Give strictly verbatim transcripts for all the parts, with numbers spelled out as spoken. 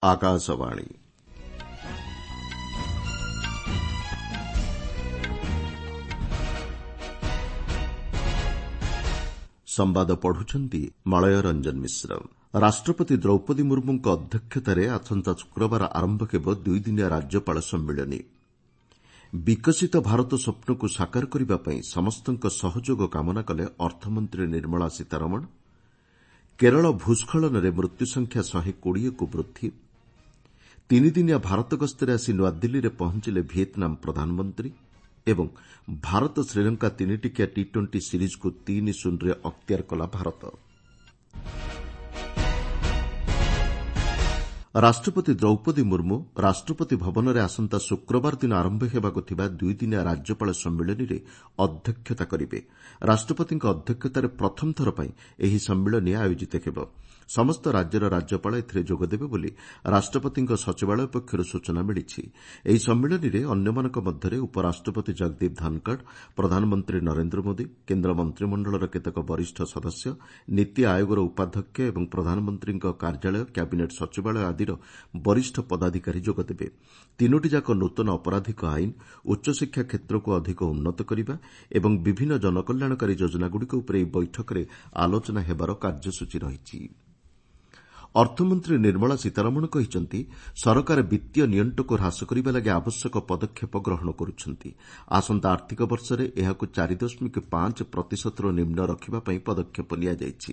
ଆକାଶବାଣୀ। ସମ୍ବାଦ ପଢୁଛନ୍ତି ମଳୟ ରଞ୍ଜନ ମିଶ୍ର। ରାଷ୍ଟ୍ରପତି ଦ୍ରୌପଦୀ ମୁର୍ମୁଙ୍କ ଅଧ୍ୟକ୍ଷତାରେ ଆସନ୍ତା ଶୁକ୍ରବାର ଆରମ୍ଭ ହେବ ଦୁଇଦିନିଆ ରାଜ୍ୟପାଳ ସମ୍ମିଳନୀ। ବିକଶିତ ଭାରତ ସ୍ୱପ୍ନକୁ ସାକାର କରିବା ପାଇଁ ସମସ୍ତଙ୍କ ସହଯୋଗ କାମନା କଲେ ଅର୍ଥମନ୍ତ୍ରୀ ନିର୍ମଳା ସୀତାରମଣ। କେରଳ ଭୂସ୍ଖଳନରେ ମୃତ୍ୟୁସଂଖ୍ୟା ଶହେ କୋଡ଼ିଏକୁ ବୃଦ୍ଧି। ତିନିଦିନିଆ ଭାରତ ଗସ୍ତରେ ଆସି ନୂଆଦିଲ୍ଲୀରେ ପହଞ୍ଚିଲେ ଭିଏତ୍ନାମ ପ୍ରଧାନମନ୍ତ୍ରୀ ଏବଂ ଭାରତ ଶ୍ରୀଲଙ୍କା ତିନିଟିକିଆ ଟି ଟ୍ୱେଣ୍ଟି ସିରିଜ୍କୁ ତିନି ଶୂନରେ ଅକ୍ତିଆର କଲା ଭାରତ। ରାଷ୍ଟ୍ରପତି ଦ୍ରୌପଦୀ ମୁର୍ମୁ ରାଷ୍ଟ୍ରପତି ଭବନରେ ଆସନ୍ତା ଶୁକ୍ରବାର ଦିନ ଆରମ୍ଭ ହେବାକୁ ଥିବା ଦୁଇଦିନିଆ ରାଜ୍ୟପାଳ ସମ୍ମିଳନୀରେ ଅଧ୍ୟକ୍ଷତା କରିବେ। ରାଷ୍ଟ୍ରପତିଙ୍କ ଅଧ୍ୟକ୍ଷତାରେ ପ୍ରଥମ ଥର ପାଇଁ ଏହି ସମ୍ମିଳନୀ ଆୟୋଜିତ ହେବ। ସମସ୍ତ ରାଜ୍ୟର ରାଜ୍ୟପାଳ ଏଥିରେ ଯୋଗଦେବେ ବୋଲି ରାଷ୍ଟ୍ରପତିଙ୍କ ସଚିବାଳୟ ପକ୍ଷରୁ ସୂଚନା ମିଳିଛି। ଏହି ସମ୍ମିଳନୀରେ ଅନ୍ୟମାନଙ୍କ ମଧ୍ୟରେ ଉପରାଷ୍ଟ୍ରପତି ଜଗଦୀପ ଧନଖଡ଼, ପ୍ରଧାନମନ୍ତ୍ରୀ ନରେନ୍ଦ୍ର ମୋଦି, କେନ୍ଦ୍ର ମନ୍ତ୍ରିମଣ୍ଡଳର କେତେକ ବରିଷ୍ଠ ସଦସ୍ୟ, ନୀତି ଆୟୋଗର ଉପାଧ୍ୟକ୍ଷ ଏବଂ ପ୍ରଧାନମନ୍ତ୍ରୀଙ୍କ କାର୍ଯ୍ୟାଳୟ, କ୍ୟାବିନେଟ୍ ସଚିବାଳୟ ଆଦିର ବରିଷ୍ଠ ପଦାଧିକାରୀ ଯୋଗଦେବେ। ତିନୋଟିଯାକ ନୂତନ ଅପରାଧିକ ଆଇନ, ଉଚ୍ଚଶିକ୍ଷା କ୍ଷେତ୍ରକୁ ଅଧିକ ଉନ୍ନତ କରିବା ଏବଂ ବିଭିନ୍ନ ଜନକଲ୍ୟାଣକାରୀ ଯୋଜନାଗୁଡ଼ିକ ଉପରେ ଏହି ବୈଠକରେ ଆଲୋଚନା ହେବାର କାର୍ଯ୍ୟସୂଚୀ ରହିଛି। ଅର୍ଥମନ୍ତ୍ରୀ ନିର୍ମଳା ସୀତାରମଣ କହିଛନ୍ତି, ସରକାର ବିତ୍ତୀୟ ନିଅଣ୍ଟକୁ ହ୍ରାସ କରିବା ଲାଗି ଆବଶ୍ୟକ ପଦକ୍ଷେପ ଗ୍ରହଣ କରୁଛନ୍ତି। ଆସନ୍ତା ଆର୍ଥିକ ବର୍ଷରେ ଏହାକୁ ଚାରି ଦଶମିକ ପାଞ୍ଚ ପ୍ରତିଶତରୁ ନିମ୍ନ ରଖିବା ପାଇଁ ପଦକ୍ଷେପ ନିଆଯାଇଛି।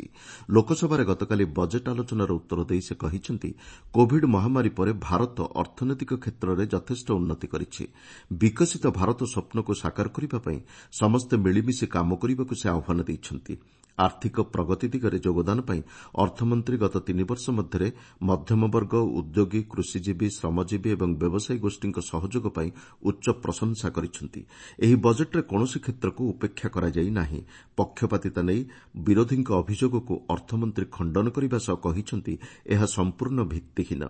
ଲୋକସଭାରେ ଗତକାଲି ବଜେଟ୍ ଆଲୋଚନାର ଉତ୍ତର ଦେଇ ସେ କହିଛନ୍ତି, କୋଭିଡ୍ ମହାମାରୀ ପରେ ଭାରତ ଅର୍ଥନୈତିକ କ୍ଷେତ୍ରରେ ଯଥେଷ୍ଟ ଉନ୍ନତି କରିଛି। ବିକଶିତ ଭାରତ ସ୍ୱପ୍ନକୁ ସାକାର କରିବା ପାଇଁ ସମସ୍ତେ ମିଳିମିଶି କାମ କରିବାକୁ ସେ ଆହ୍ୱାନ ଦେଇଛନ୍ତି। ଆର୍ଥିକ ପ୍ରଗତି ଦିଗରେ ଯୋଗଦାନ ପାଇଁ ଅର୍ଥମନ୍ତ୍ରୀ ଗତ ତିନି ବର୍ଷ ମଧ୍ୟରେ ମଧ୍ୟମବର୍ଗ, ଉଦ୍ୟୋଗୀ, କୃଷିଜୀବୀ, ଶ୍ରମଜୀବୀ ଏବଂ ବ୍ୟବସାୟୀ ଗୋଷ୍ଠୀଙ୍କ ସହଯୋଗ ପାଇଁ ଉଚ୍ଚ ପ୍ରଶଂସା କରିଛନ୍ତି। ଏହି ବଜେଟ୍ରେ କୌଣସି କ୍ଷେତ୍ରକୁ ଉପେକ୍ଷା କରାଯାଇ ନାହିଁ। ପକ୍ଷପାତିତା ନେଇ ବିରୋଧୀଙ୍କ ଅଭିଯୋଗକୁ ଅର୍ଥମନ୍ତ୍ରୀ ଖଣ୍ଡନ କରିବା ସହ କହିଛନ୍ତି, ଏହା ସମ୍ପୂର୍ଣ୍ଣ ଭିତ୍ତିହୀନ।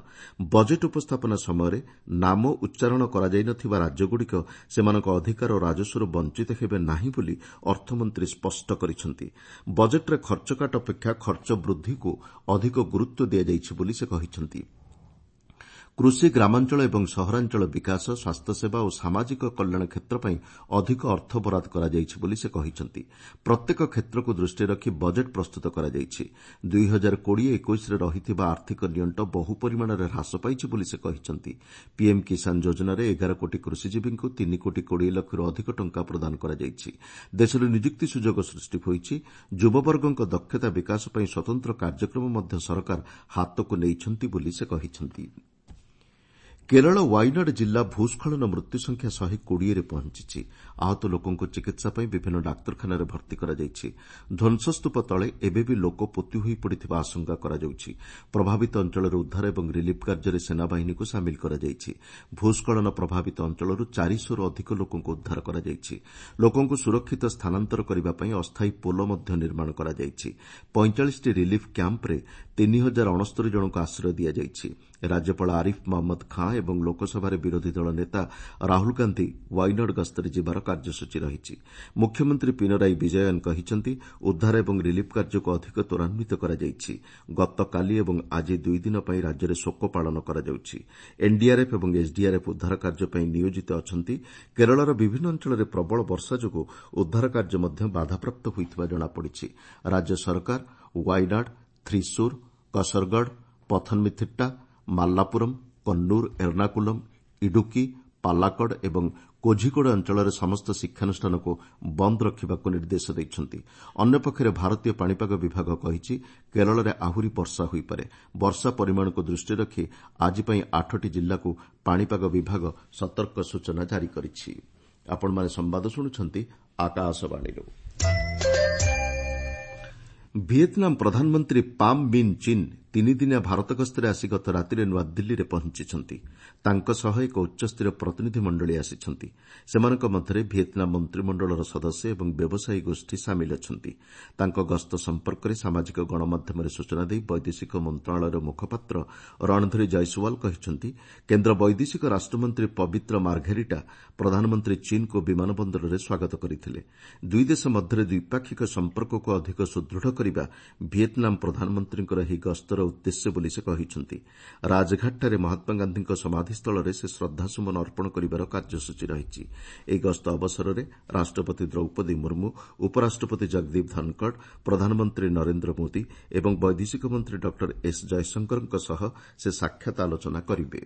ବଜେଟ୍ ଉପସ୍ଥାପନା ସମୟରେ ନାମ ଉଚ୍ଚାରଣ କରାଯାଇନଥିବା ରାଜ୍ୟଗୁଡ଼ିକ ସେମାନଙ୍କ ଅଧିକାର ଓ ରାଜସ୍ୱରୁ ବଞ୍ଚିତ ହେବେ ନାହିଁ ବୋଲି ଅର୍ଥମନ୍ତ୍ରୀ ସ୍ପଷ୍ଟ କରିଛନ୍ତି। ବଜେଟ୍ରେ ଖର୍ଚ୍ଚକାଟ ଅପେକ୍ଷା ଖର୍ଚ୍ଚ ବୃଦ୍ଧିକୁ ଅଧିକ ଗୁରୁତ୍ୱ ଦିଆଯାଇଛି ବୋଲି ସେ କହିଛନ୍ତି। କୃଷି, ଗ୍ରାମାଞ୍ଚଳ ଏବଂ ସହରାଞ୍ଚଳ ବିକାଶ, ସ୍ୱାସ୍ଥ୍ୟସେବା ଓ ସାମାଜିକ କଲ୍ୟାଣ କ୍ଷେତ୍ର ପାଇଁ ଅଧିକ ଅର୍ଥ ବରାଦ କରାଯାଇଛି ବୋଲି ସେ କହିଛନ୍ତି। ପ୍ରତ୍ୟେକ କ୍ଷେତ୍ରକୁ ଦୃଷ୍ଟିରେ ରଖି ବଜେଟ୍ ପ୍ରସ୍ତୁତ କରାଯାଇଛି। ଦୁଇ ହଜାର କୋଡ଼ିଏ ଏକୋଇଶରେ ରହିଥିବା ଆର୍ଥିକ ନିଅଣ୍ଟ ବହୁ ପରିମାଣରେ ହ୍ରାସ ପାଇଛି ବୋଲି ସେ କହିଛନ୍ତି। ପିଏମ୍ କିଷାନ ଯୋଜନାରେ ଏଗାର କୋଟି କୃଷିଜୀବୀଙ୍କୁ ତିନି କୋଟି କୋଡ଼ିଏ ଲକ୍ଷରୁ ଅଧିକ ଟଙ୍କା ପ୍ରଦାନ କରାଯାଇଛି। ଦେଶରେ ନିଯୁକ୍ତି ସୁଯୋଗ ସୃଷ୍ଟି ହୋଇଛି। ଯୁବବର୍ଗଙ୍କ ଦକ୍ଷତା ବିକାଶ ପାଇଁ ସ୍ୱତନ୍ତ୍ର କାର୍ଯ୍ୟକ୍ରମ ମଧ୍ୟ ସରକାର ହାତକୁ ନେଇଛନ୍ତି ବୋଲି ସେ କହିଛନ୍ତି। କେରଳ ୱାଇନାଡ୍ ଜିଲ୍ଲା ଭୂସ୍ଖଳନ ମୃତ୍ୟୁସଂଖ୍ୟା ଶହେ କୋଡ଼ିଏରେ ପହଞ୍ଚିଛି। ଆହତ ଲୋକଙ୍କୁ ଚିକିତ୍ସା ପାଇଁ ବିଭିନ୍ନ ଡାକ୍ତରଖାନାରେ ଭର୍ତ୍ତି କରାଯାଇଛି। ଧ୍ୱଂସସ୍ତୂପ ତଳେ ଏବେ ବି ଲୋକ ପୋତି ହୋଇପଡ଼ିଥିବା ଆଶଙ୍କା କରାଯାଉଛି। ପ୍ରଭାବିତ ଅଞ୍ଚଳରେ ଉଦ୍ଧାର ଏବଂ ରିଲିଫ୍ କାର୍ଯ୍ୟରେ ସେନାବାହିନୀକୁ ସାମିଲ କରାଯାଇଛି। ଭୂସ୍ଖଳନ ପ୍ରଭାବିତ ଅଞ୍ଚଳରୁ ଚାରିଶହରୁ ଅଧିକ ଲୋକଙ୍କୁ ଉଦ୍ଧାର କରାଯାଇଛି। ଲୋକଙ୍କୁ ସୁରକ୍ଷିତ ସ୍ଥାନାନ୍ତର କରିବା ପାଇଁ ଅସ୍ଥାୟୀ ପୋଲ ମଧ୍ୟ ନିର୍ମାଣ କରାଯାଇଛି। ପଇଁଚାଳିଶଟି ରିଲିଫ୍ କ୍ୟାମ୍ପରେ ତିନି ହଜାର ଅଣସ୍ତରି ଜଣଙ୍କୁ ଆଶ୍ରୟ ଦିଆଯାଇଛି। ରାଜ୍ୟପାଳ ଆରିଫ୍ ମହମ୍ମଦ ଖାଁ ଏବଂ ଲୋକସଭାରେ ବିରୋଧୀ ଦଳ ନେତା ରାହୁଲ ଗାନ୍ଧି ୱାଇନାଡ୍ ଗସ୍ତରେ ଯିବାର କାର୍ଯ୍ୟସୂଚୀ ରହିଛି। ମୁଖ୍ୟମନ୍ତ୍ରୀ ପିନରାଇ ବିଜୟନ୍ କହିଛନ୍ତି, ଉଦ୍ଧାର ଏବଂ ରିଲିଫ୍ କାର୍ଯ୍ୟକୁ ଅଧିକ ତ୍ୱରାନ୍ୱିତ କରାଯାଇଛି। ଗତକାଲି ଏବଂ ଆଜି ଦୁଇଦିନ ପାଇଁ ରାଜ୍ୟରେ ଶୋକ ପାଳନ କରାଯାଉଛି। ଏନ୍ଡିଆର୍ଏଫ୍ ଏବଂ ଏସ୍ଡିଆର୍ଏଫ୍ ଉଦ୍ଧାର କାର୍ଯ୍ୟ ପାଇଁ ନିୟୋଜିତ ଅଛନ୍ତି। କେରଳର ବିଭିନ୍ନ ଅଞ୍ଚଳରେ ପ୍ରବଳ ବର୍ଷା ଯୋଗୁଁ ଉଦ୍ଧାର କାର୍ଯ୍ୟ ମଧ୍ୟ ବାଧାପ୍ରାପ୍ତ ହୋଇଥିବା ଜଣାପଡ଼ିଛି। ରାଜ୍ୟ ସରକାର ୱାଇନାଡ୍, ଥ୍ରିସୁର, କସରଗଡ଼, ପଥନମିଥିଟ୍ଟା, ମାଲାପୁରମ୍, କନ୍ନୁର, ଏର୍ଣ୍ଣାକୁଲମ୍, ଇଡୁକି, ପାଲାକଡ଼ ଏବଂ କୋଝିକୋଡେ ଅଞ୍ଚଳରେ ସମସ୍ତ ଶିକ୍ଷାନୁଷ୍ଠାନକୁ ବନ୍ଦ ରଖିବାକୁ ନିର୍ଦ୍ଦେଶ ଦେଇଛନ୍ତି। ଅନ୍ୟପକ୍ଷରେ ଭାରତୀୟ ପାଣିପାଗ ବିଭାଗ କହିଛି, କେରଳରେ ଆହୁରି ବର୍ଷା ହୋଇପାରେ। ବର୍ଷା ପରିମାଣକୁ ଦୃଷ୍ଟିରେ ରଖି ଆଜି ପାଇଁ ଆଠଟି ଜିଲ୍ଲାକୁ ପାଣିପାଗ ବିଭାଗ ସତର୍କ ସୂଚନା ଜାରି କରିଛି। ଭିଏତ୍ନାମ ପ୍ରଧାନମନ୍ତ୍ରୀ ପାମ୍ ମିନ୍ ଚିନ୍ ତିନିଦିନିଆ ଭାରତ ଗସ୍ତରେ ଆସି ଗତ ରାତିରେ ନୂଆଦିଲ୍ଲୀରେ ପହଞ୍ଚିଛନ୍ତି। ତାଙ୍କ ସହ ଏକ ଉଚ୍ଚସ୍ତରୀୟ ପ୍ରତିନିଧି ମଣ୍ଡଳୀ ଆସିଛନ୍ତି। ସେମାନଙ୍କ ମଧ୍ୟରେ ଭିଏତ୍ନାମ ମନ୍ତ୍ରିମଣ୍ଡଳର ସଦସ୍ୟ ଏବଂ ବ୍ୟବସାୟୀ ଗୋଷ୍ଠୀ ସାମିଲ ଅଛନ୍ତି। ତାଙ୍କ ଗସ୍ତ ସମ୍ପର୍କରେ ସାମାଜିକ ଗଣମାଧ୍ୟମରେ ସୂଚନା ଦେଇ ବୈଦେଶିକ ମନ୍ତ୍ରଣାଳୟର ମୁଖପାତ୍ର ରଣଧୀର ଜୟସୱାଲ କହିଛନ୍ତି, କେନ୍ଦ୍ର ବୈଦେଶିକ ରାଷ୍ଟ୍ରମନ୍ତ୍ରୀ ପବିତ୍ର ମାର୍ଘେରିଟା ପ୍ରଧାନମନ୍ତ୍ରୀ ଚୀନ୍କୁ ବିମାନ ବନ୍ଦରରେ ସ୍ୱାଗତ କରିଥିଲେ। ଦୁଇ ଦେଶ ମଧ୍ୟରେ ଦ୍ୱିପାକ୍ଷିକ ସମ୍ପର୍କକୁ ଅଧିକ ସୁଦୃଢ଼ କରିବା ଭିଏତ୍ନାମ ପ୍ରଧାନମନ୍ତ୍ରୀଙ୍କର ଏହି ଗସ୍ତର ଉଦ୍ଦେଶ୍ୟ ବୋଲି ସେ କହିଛନ୍ତି। ରାଜଘାଟଠାରେ ମହାତ୍ମାଗାନ୍ଧୀଙ୍କ ସମାଧିସ୍ଥଳରେ ସେ ଶ୍ରଦ୍ଧାସୁମନ ଅର୍ପଣ କରିବାର କାର୍ଯ୍ୟସୂଚୀ ରହିଛି। ଏହି ଗସ୍ତ ଅବସରରେ ରାଷ୍ଟ୍ରପତି ଦ୍ରୌପଦୀ ମୁର୍ମୁ, ଉପରାଷ୍ଟ୍ରପତି ଜଗଦୀପ ଧନଖଡ଼, ପ୍ରଧାନମନ୍ତ୍ରୀ ନରେନ୍ଦ୍ର ମୋଦି ଏବଂ ବୈଦେଶିକ ମନ୍ତ୍ରୀ ଡକ୍ଟର ଏସ୍ ଜୟଶଙ୍କରଙ୍କ ସହ ସେ ସାକ୍ଷାତ ଆଲୋଚନା କରିବେ।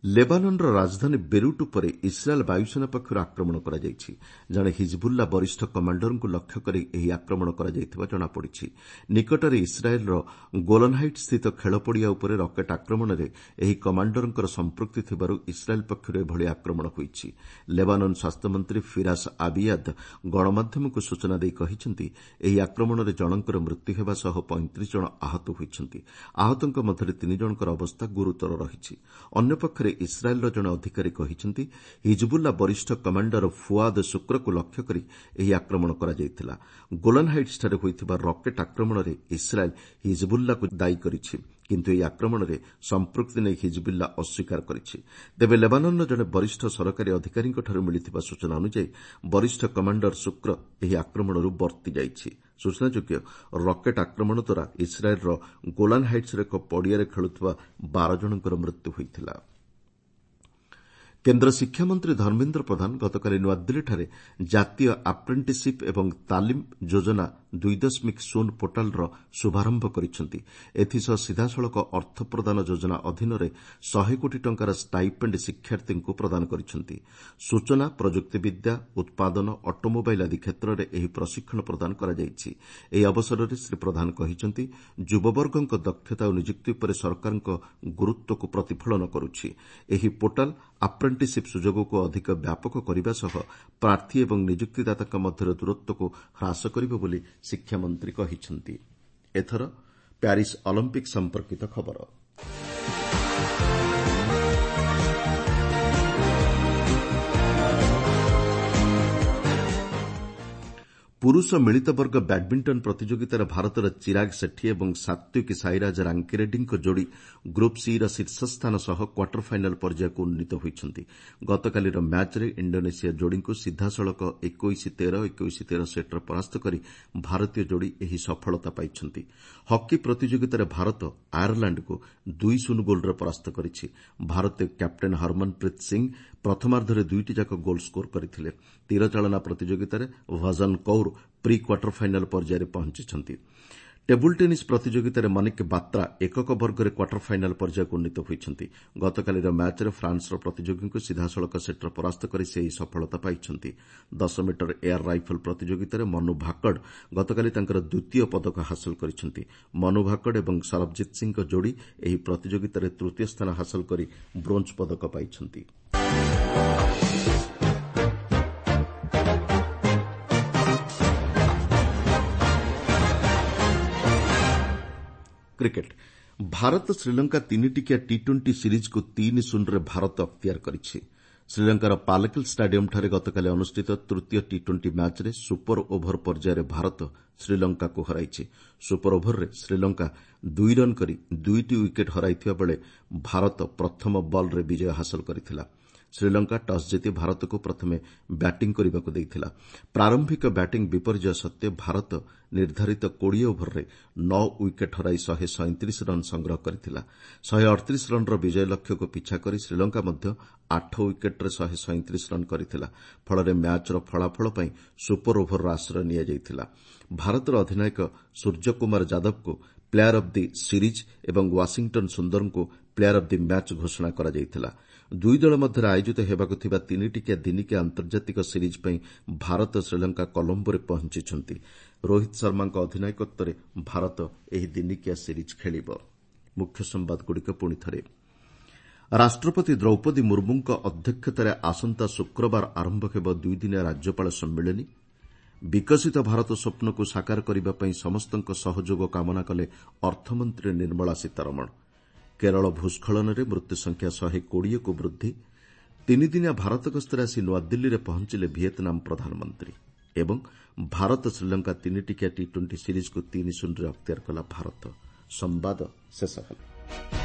ଲେବାନନ୍ର ରାଜଧାନୀ ବେରୁଟ୍ ଉପରେ ଇସ୍ରାଏଲ୍ ବାୟୁସେନା ପକ୍ଷରୁ ଆକ୍ରମଣ କରାଯାଇଛି। ଜଣେ ହିଜବୁଲ୍ଲା ବରିଷ୍ଠ କମାଣ୍ଡରଙ୍କୁ ଲକ୍ଷ୍ୟ କରି ଏହି ଆକ୍ରମଣ କରାଯାଇଥିବା ଜଣାପଡ଼ିଛି। ନିକଟରେ ଇସ୍ରାଏଲ୍ର ଗୋଲନ୍ହାଇଟ୍ସ୍ଥିତ ଖେଳପଡ଼ିଆ ଉପରେ ରକେଟ୍ ଆକ୍ରମଣରେ ଏହି କମାଣ୍ଡରଙ୍କର ସମ୍ପୃକ୍ତି ଥିବାରୁ ଇସ୍ରାଏଲ୍ ପକ୍ଷରୁ ଏଭଳି ଆକ୍ରମଣ ହୋଇଛି। ଲେବାନନ୍ ସ୍ୱାସ୍ଥ୍ୟମନ୍ତ୍ରୀ ଫିରାସ୍ ଆବିୟାଦ୍ ଗଣମାଧ୍ୟମକୁ ସୂଚନା ଦେଇ କହିଛନ୍ତି, ଏହି ଆକ୍ରମଣରେ ଜଣଙ୍କର ମୃତ୍ୟୁ ହେବା ସହ ପଇଁତିରିଶ ଜଣ ଆହତ ହୋଇଛନ୍ତି। ଆହତଙ୍କ ମଧ୍ୟରେ ତିନି ଜଣଙ୍କର ଅବସ୍ଥା ଗୁରୁତର ରହିଛି। ଅନ୍ୟପକ୍ଷରେ ଇସ୍ରାଏଲ୍ର ଜଣେ ଅଧିକାରୀ କହିଛନ୍ତି, ହିଜବୁଲ୍ଲା ବରିଷ୍ଠ କମାଣ୍ଡର ଫୁଆଦ ଶୁକ୍ରକୁ ଲକ୍ଷ୍ୟ କରି ଏହି ଆକ୍ରମଣ କରାଯାଇଥିଲା। ଗୋଲାନ୍ ହାଇଟ୍ସଠାରେ ହୋଇଥିବା ରକେଟ୍ ଆକ୍ରମଣରେ ଇସ୍ରାଏଲ୍ ହିଜବୁଲ୍ଲାକୁ ଦାୟୀ କରିଛି। କିନ୍ତୁ ଏହି ଆକ୍ରମଣରେ ସମ୍ପୃକ୍ତି ନେଇ ହିଜବୁଲ୍ଲା ଅସ୍ୱୀକାର କରିଛି। ତେବେ ଲେବାନନ୍ର ଜଣେ ବରିଷ୍ଠ ସରକାରୀ ଅଧିକାରୀଙ୍କଠାରୁ ମିଳିଥିବା ସୂଚନା ଅନୁଯାୟୀ ବରିଷ୍ଠ କମାଣ୍ଡର ଶୁକ୍ର ଏହି ଆକ୍ରମଣରୁ ବର୍ତ୍ତି ଯାଇଛି। ସୂଚନାଯୋଗ୍ୟ, ରକେଟ୍ ଆକ୍ରମଣ ଦ୍ୱାରା ଇସ୍ରାଏଲ୍ର ଗୋଲାନ୍ ହାଇଟ୍ସର ଏକ ପଡ଼ିଆରେ ଖେଳୁଥିବା ବାର ଜଣଙ୍କର ମୃତ୍ୟୁ ହୋଇଥିଲା। କେନ୍ଦ୍ର ଶିକ୍ଷାମନ୍ତ୍ରୀ ଧର୍ମେନ୍ଦ୍ର ପ୍ରଧାନ ଗତକାଲି ନୂଆଦିଲ୍ଲୀଠାରେ ଜାତୀୟ ଆପ୍ରେଣ୍ଟିସିପ୍ ଏବଂ ତାଲିମ ଯୋଜନା ଦୁଇ ଦଶମିକ ଶୂନ ପୋର୍ଟାଲର ଶୁଭାରମ୍ଭ କରିଛନ୍ତି। ଏଥିସହ ସିଧାସଳଖ ଅର୍ଥ ପ୍ରଦାନ ଯୋଜନା ଅଧୀନରେ ଶହେ କୋଟି ଟଙ୍କାର ଷ୍ଟାଇପେଣ୍ଡ ଶିକ୍ଷାର୍ଥୀଙ୍କୁ ପ୍ରଦାନ କରିଛନ୍ତି। ସୂଚନା ପ୍ରଯୁକ୍ତିବିଦ୍ୟା, ଉତ୍ପାଦନ, ଅଟୋମୋବାଇଲ୍ ଆଦି କ୍ଷେତ୍ରରେ ଏହି ପ୍ରଶିକ୍ଷଣ ପ୍ରଦାନ କରାଯାଇଛି। ଏହି ଅବସରରେ ଶ୍ରୀ ପ୍ରଧାନ କହିଛନ୍ତି, ଯୁବବର୍ଗଙ୍କ ଦକ୍ଷତା ଓ ନିଯୁକ୍ତି ଉପରେ ସରକାରଙ୍କ ଗୁରୁତ୍ୱକୁ ପ୍ରତିଫଳନ କରୁଛି। ଏହି ପୋର୍ଟାଲ ଆପ୍ରେଣ୍ଟିସିପ୍ ସୁଯୋଗକୁ ଅଧିକ ବ୍ୟାପକ କରିବା ସହ ପ୍ରାର୍ଥୀ ଏବଂ ନିଯୁକ୍ତିଦାତାଙ୍କ ମଧ୍ୟରେ ଦୂରତ୍ୱକୁ ହ୍ରାସ କରିବ ବୋଲି ଶିକ୍ଷାମନ୍ତ୍ରୀ କହିଛନ୍ତି। ଏଥର ପ୍ୟାରିସ୍ ଅଲିମ୍ପିକ୍ ସମ୍ପର୍କିତ ଖବର। ପୁରୁଷ ମିଳିତ ବର୍ଗ ବ୍ୟାଡ୍ମିଣ୍ଟନ ପ୍ରତିଯୋଗିତାରେ ଭାରତର ଚିରାଗ ସେଠୀ ଏବଂ ସାତ୍ୱିକ ସାଇରାଜ ରାଙ୍କିରେଡ୍ଡୀଙ୍କ ଯୋଡ଼ି ଗ୍ରୁପ୍ ସିର ଶୀର୍ଷସ୍ଥାନ ସହ କ୍ୱାର୍ଟର ଫାଇନାଲ୍ ପର୍ଯ୍ୟାୟକୁ ଉନ୍ନୀତ ହୋଇଛନ୍ତି। ଗତକାଲିର ମ୍ୟାଚ୍ରେ ଇଣ୍ଡୋନେସିଆ ଯୋଡ଼ିଙ୍କୁ ସିଧାସଳଖ ଏକୋଇଶ ତେର, ଏକୋଇଶ ତେର ସେଟ୍ରେ ପରାସ୍ତ କରି ଭାରତୀୟ ଯୋଡ଼ି ଏହି ସଫଳତା ପାଇଛନ୍ତି। ହକି ପ୍ରତିଯୋଗିତାରେ ଭାରତ ଆୟାରଲାଣ୍ଡକୁ ଦୁଇ ଶୂନ ଗୋଲ୍ରେ ପରାସ୍ତ କରିଛି। ଭାରତୀୟ କ୍ୟାପ୍ଟେନ୍ ହରମନପ୍ରୀତ ସିଂ ପ୍ରଥମାର୍ଦ୍ଧରେ ଦୁଇଟି ଯାକ ଗୋଲ୍ ସ୍କୋର କରିଥିଲେ। ତୀରଚାଳନା ପ୍ରତିଯୋଗିତାରେ ଭଜନ କୌର ପ୍ରି କ୍ୱାର୍ଟର ଫାଇନାଲ୍ ପର୍ଯ୍ୟାୟରେ ପହଞ୍ଚିଛନ୍ତି। ଟେବୁଲ୍ ଟେନିସ୍ ପ୍ରତିଯୋଗିତାରେ ମନିକ ବାତ୍ରା ଏକକ ବର୍ଗରେ କ୍ୱାର୍ଟର ଫାଇନାଲ୍ ପର୍ଯ୍ୟାୟକୁ ଉନ୍ନୀତ ହୋଇଛନ୍ତି। ଗତକାଲିର ମ୍ୟାଚ୍ରେ ଫ୍ରାନ୍ସର ପ୍ରତିଯୋଗୀଙ୍କୁ ସିଧାସଳଖ ସେଟ୍ରେ ପରାସ୍ତ କରି ସେ ଏହି ସଫଳତା ପାଇଛନ୍ତି। ଦଶ ମିଟର ଏୟାର ରାଇଫଲ୍ ପ୍ରତିଯୋଗିତାରେ ମନୁ ଭାକଡ଼ ଗତକାଲି ତାଙ୍କର ଦ୍ୱିତୀୟ ପଦକ ହାସଲ କରିଛନ୍ତି। ମନୁ ଭାକଡ଼ ଏବଂ ସରବଜିତ୍ ସିଂଙ୍କ ଯୋଡ଼ି ଏହି ପ୍ରତିଯୋଗିତାରେ ତୃତୀୟ ସ୍ଥାନ ହାସଲ କରି ବ୍ରୋଞ୍ଜ ପଦକ ପାଇଛନ୍ତି। କ୍ରିକେଟ୍ ଭାରତ ଶ୍ରୀଲଙ୍କା ତିନିଟିକିଆ ଟି ଟ୍ୱେଣ୍ଟି ସିରିଜ୍କୁ ତିନି ଶୂନରେ ଭାରତ ଅକ୍ତିଆର କରିଛି। ଶ୍ରୀଲଙ୍କାର ପାଲକେଲ୍ ଷ୍ଟାଡିୟମ୍ଠାରେ ଗତକାଲି ଅନୁଷ୍ଠିତ ତୃତୀୟ ଟି ଟ୍ୱେଣ୍ଟି ମ୍ୟାଚ୍ରେ ସୁପର ଓଭର ପର୍ଯ୍ୟାୟରେ ଭାରତ ଶ୍ରୀଲଙ୍କାକୁ ହରାଇଛି। ସୁପର ଓଭରରେ ଶ୍ରୀଲଙ୍କା ଦୁଇ ରନ୍ କରି ଦୁଇଟି ୱିକେଟ୍ ହରାଇଥିବା ବେଳେ ଭାରତ ପ୍ରଥମ ବଲ୍ରେ ବିଜୟ ହାସଲ କରିଥିଲା। ଶ୍ରୀଲଙ୍କା ଟସ୍ ଜିତି ଭାରତକୁ ପ୍ରଥମେ ବ୍ୟାଟିଂ କରିବାକୁ ଦେଇଥିଲା। ପ୍ରାରମ୍ଭିକ ବ୍ୟାଟିଂ ବିପର୍ଯ୍ୟୟ ସତ୍ତ୍ୱେ ଭାରତ ନିର୍ଦ୍ଧାରିତ କୋଡ଼ିଏ ଓଭରରେ ନଅ ୱିକେଟ୍ ହରାଇ ଶହେ ସଇଁତିରିଶ ରନ୍ ସଂଗ୍ରହ କରିଥିଲା। ଶହେ ଅଠତିରିଶ ରନ୍ର ବିଜୟ ଲକ୍ଷ୍ୟକୁ ପିଛା କରି ଶ୍ରୀଲଙ୍କା ମଧ୍ୟ ଆଠ ୱିକେଟ୍ରେ ଶହେ ସଇଁତିରିଶ ରନ୍ କରିଥିଲା। ଫଳରେ ମ୍ୟାଚ୍ର ଫଳାଫଳ ପାଇଁ ସୁପର ଓଭରର ଆଶ୍ରୟ ନିଆଯାଇଥିଲା। ଭାରତର ଅଧିନାୟକ ସୂର୍ଯ୍ୟକୁମାର ଯାଦବଙ୍କୁ ପ୍ଲେୟାର ଅଫ୍ the series ଏବଂ ୱାଶିଂଟନ୍ ସୁନ୍ଦରଙ୍କୁ ପ୍ଲେୟାର ଅଫ୍ the match ଘୋଷଣା କରାଯାଇଥିଲା। ଦୁଇ ଦଳ ମଧ୍ୟରେ ଆୟୋଜିତ ହେବାକୁ ଥିବା ତିନିଟିକିଆ ଦିନିକିଆ ଆନ୍ତର୍ଜାତିକ ସିରିଜ୍ ପାଇଁ ଭାରତ ଶ୍ରୀଲଙ୍କା କଲମ୍ବୋରେ ପହଞ୍ଚିଛନ୍ତି। ରୋହିତ ଶର୍ମାଙ୍କ ଅଧିନାୟକତ୍ୱରେ ଭାରତ ଏହି ଦିନିକିଆ ସିରିଜ୍ ଖେଳିବ। ମୁଖ୍ୟ ସମ୍ବାଦଗୁଡ଼ିକ ପୁଣିଥରେ ରାଷ୍ଟ୍ରପତି ଦ୍ରୌପଦୀ ମୁର୍ମୁଙ୍କ ଅଧ୍ୟକ୍ଷତାରେ ଆସନ୍ତା ଶୁକ୍ରବାର ଆରମ୍ଭ ହେବ ଦୁଇଦିନିଆ ରାଜ୍ୟପାଳ ସମ୍ମିଳନୀ। ବିକଶିତ ଭାରତ ସ୍ୱପ୍ନକୁ ସାକାର କରିବା ପାଇଁ ସମସ୍ତଙ୍କ ସହଯୋଗ କାମନା କଲେ ଅର୍ଥମନ୍ତ୍ରୀ ନିର୍ମଳା ସୀତାରମଣ। କେରଳ ଭୂସ୍ଖଳନରେ ମୃତ୍ୟୁସଂଖ୍ୟା ଶହେ କୋଡ଼ିଏକୁ ବୃଦ୍ଧି। ତିନିଦିନିଆ ଭାରତ ଗସ୍ତରେ ଆସି ନୂଆଦିଲ୍ଲୀରେ ପହଞ୍ଚିଲେ ଭିଏତନାମ ପ୍ରଧାନମନ୍ତ୍ରୀ। ଏବଂ ଭାରତ ଶ୍ରୀଲଙ୍କା ତିନିଟିକିଆ ଟି ଟ୍ୱେଣ୍ଟି ସିରିଜ୍କୁ ତିନି ଶୂନରେ ଅକ୍ତିଆର କଲା ଭାରତ। ସମ୍ବାଦ ଶେଷ ହେଲା।